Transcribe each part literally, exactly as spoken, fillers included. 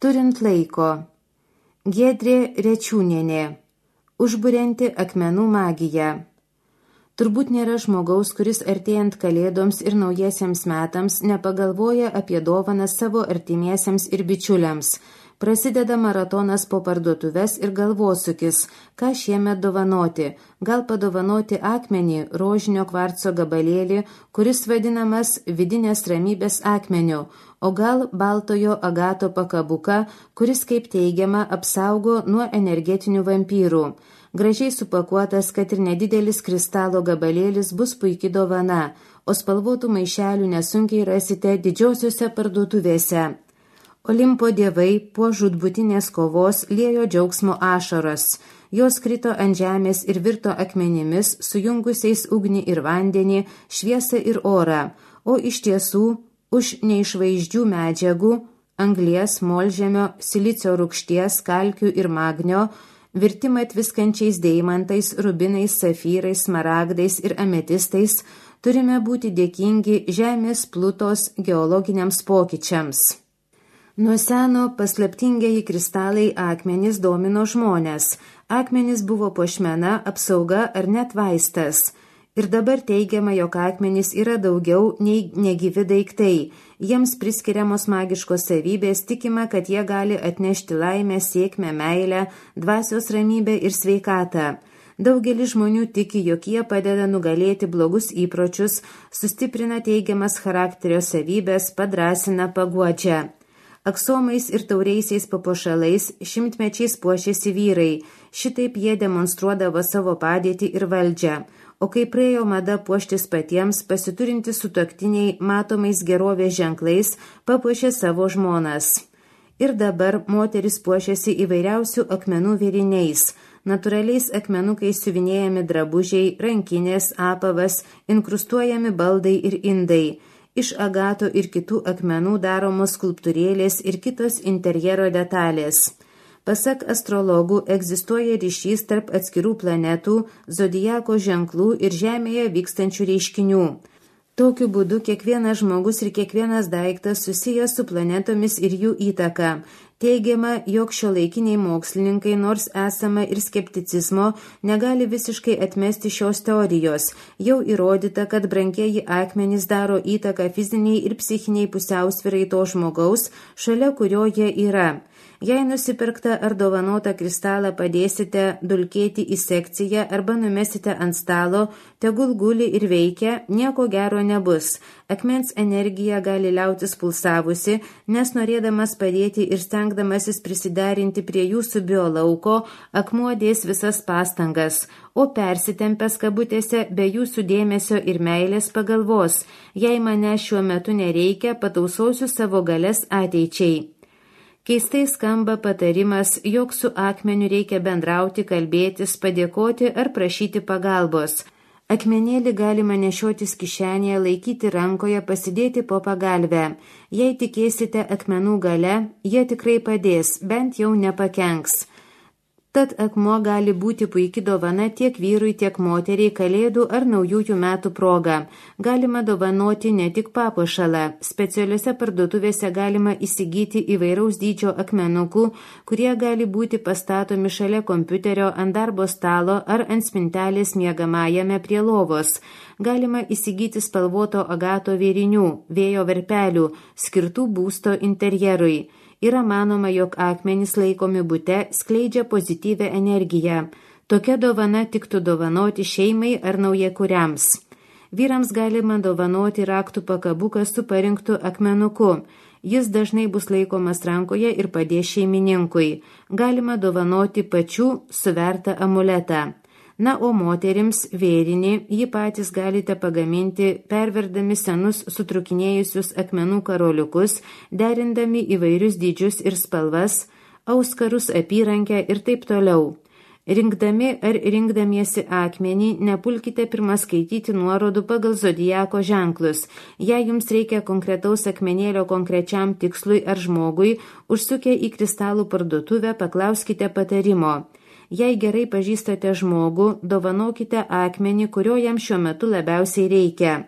Turint laiko. Giedrė Rečiūnienė. Užburianti akmenų magija. Turbūt nėra žmogaus, kuris artėjant kalėdoms ir naujiesiems metams nepagalvoja apie dovanas savo artimiesiems ir bičiuliams. Prasideda maratonas po parduotuves ir galvosūkis, ką šiemet dovanoti. Gal padovanoti akmenį, rožinio kvarco gabalėlį, kuris vadinamas vidinės ramybės akmeniu, o gal baltojo agato pakabuką, kuris, kaip teigiama, apsaugo nuo energetinių vampyrų. Gražiai supakuotas, kad ir nedidelis kristalo gabalėlis bus puiki dovana, o spalvotų maišelių nesunkiai rasite didžiosiuose parduotuvėse. Olimpo dievai po žūtbūtinės kovos liejo džiaugsmo ašaras. Jos krito ant žemės ir virto akmenimis, sujungusiais ugnį ir vandenį, šviesą ir orą, o iš tiesų už neišvaizdžių medžiagų, anglies, molžemio, silicio rūgšties, kalkių ir magnio, virtimą tviskančiais deimantais, rubinais, safyrais, smaragdais ir ametistais, turime būti dėkingi žemės plutos geologiniams pokyčiams. Nuo seno paslaptingieji kristalai akmenys domino žmonės. Akmenys buvo puošmena, apsauga ar net vaistas. Ir dabar teigiama, jog akmenys yra daugiau nei negyvi daiktai. Jiems priskiriamos magiškos savybės, tikima, kad jie gali atnešti laimę, sėkmę, meilę, dvasios ramybę ir sveikatą. Daugelis žmonių tiki, jog jie padeda nugalėti blogus įpročius, sustiprina teigiamas charakterio savybės, padrasina, paguodžia. Aksomais ir tauriaisiais papuošalais šimtmečiais puošėsi vyrai, šitaip jie demonstruodavo savo padėtį ir valdžią, o kai praėjo mada puoštis patiems, pasiturinti sutuoktiniai matomais gerovės ženklais papuošė savo žmonas. Ir dabar moteris puošiasi įvairiausių akmenų vėriniais, natūraliais akmenukais siuvinėjami drabužiai, rankinės, apavas, inkrustuojami baldai ir indai. Iš agato ir kitų akmenų daromos skulptūrėlės ir kitos interjero detalės. Pasak astrologų, egzistuoja ryšys tarp atskirų planetų, zodiako ženklų ir Žemėje vykstančių reiškinių. Tokiu būdu kiekvienas žmogus ir kiekvienas daiktas susijęs su planetomis ir jų įtaka. Teigiama, jog šiuolaikiniai mokslininkai, nors esama ir skepticizmo, negali visiškai atmesti šios teorijos. Jau įrodyta, kad brangieji akmenys daro įtaką fiziniai ir psichiniai pusiausvyrai to žmogaus, šalia kurio jie yra. Jei nusipirktą ar dovanotą kristalą padėsite dulkėti į sekciją arba numesite ant stalo, tegul guli ir veikia, nieko gero nebus. Akmens energija gali liautis pulsavusi, nes norėdamas padėti ir stengdamasis prisiderinti prie jūsų biolauko, akmuo dės visas pastangas, o persitempęs kabutėse be jūsų dėmesio ir meilės pagalvos, jei mane šiuo metu nereikia, patausosiu savo galias ateičiai. Keistai skamba patarimas, jog su akmeniu reikia bendrauti, kalbėtis, padėkoti ar prašyti pagalbos. Akmenėlį galima nešiotis kišenėje, laikyti rankoje, pasidėti po pagalvę. Jei tikėsite akmenų gale, jie tikrai padės, bent jau nepakenks. Tad akmuo gali būti puiki dovana tiek vyrui, tiek moteriai kalėdų ar naujųjų metų proga. Galima dovanoti ne tik papuošalą. Specialiuose parduotuvėse galima įsigyti įvairaus dydžio akmenukų, kurie gali būti pastatomi šalia kompiuterio, ant darbo stalo ar ant spintelės miegamajame prie lovos. Galima įsigyti spalvoto agato vėrinių, vėjo verpelių, skirtų būsto interjerui. Yra manoma, jog akmenys laikomi bute skleidžia pozityvę energiją. Tokia dovana tiktų dovanoti šeimai ar naujakuriams. Vyrams galima dovanoti raktų pakabuką su parinktu akmenuku. Jis dažnai bus laikomas rankoje ir padės šeimininkui. Galima dovanoti pačių suvertą amuletą. Na, o moterims vėrinį jį patys galite pagaminti, perverdami senus sutrukinėjusius akmenų karoliukus, derindami įvairius dydžius ir spalvas, auskarus, apyrankę ir taip toliau. Rinkdami ar rinkdamiesi akmenį, nepulkite pirmą skaityti nuorodų pagal zodiako ženklus. Jei jums reikia konkretaus akmenėlio konkrečiam tikslui ar žmogui, užsukę į kristalų parduotuvę, paklauskite patarimo. Jei gerai pažįstate žmogų, dovanokite akmenį, kurio jam šiuo metu labiausiai reikia.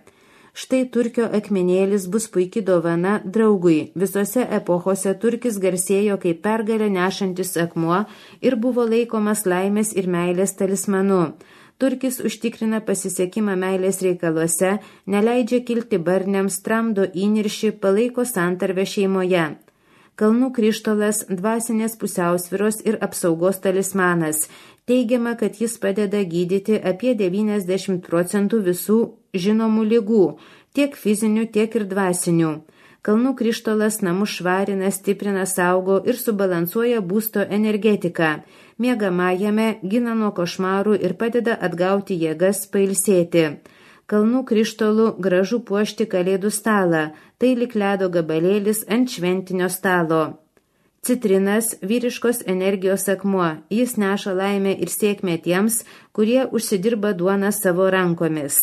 Štai turkio akmenėlis bus puiki dovana draugui. Visose epochose turkis garsėjo kaip pergalę nešantis akmuo ir buvo laikomas laimės ir meilės talismanu. Turkis užtikrina pasisekimą meilės reikaluose, neleidžia kilti barniams, tramdo įniršį, palaiko santarvę šeimoje. Kalnų krištolas dvasinės pusiausvyros ir apsaugos talismanas. Teigiama, kad jis padeda gydyti apie devyniasdešimt procentų visų žinomų ligų, tiek fizinių, tiek ir dvasinių. Kalnų krištolas namus švarina, stiprina, saugo ir subalansuoja būsto energetiką. Miegamajame gina nuo košmarų ir padeda atgauti jėgas pailsėti. Kalnų krištolų gražu puošti kalėdų stalą, tai lik ledo gabalėlis ant šventinio stalo. Citrinas – vyriškos energijos akmuo, jis neša laimę ir sėkmę tiems, kurie užsidirba duoną savo rankomis.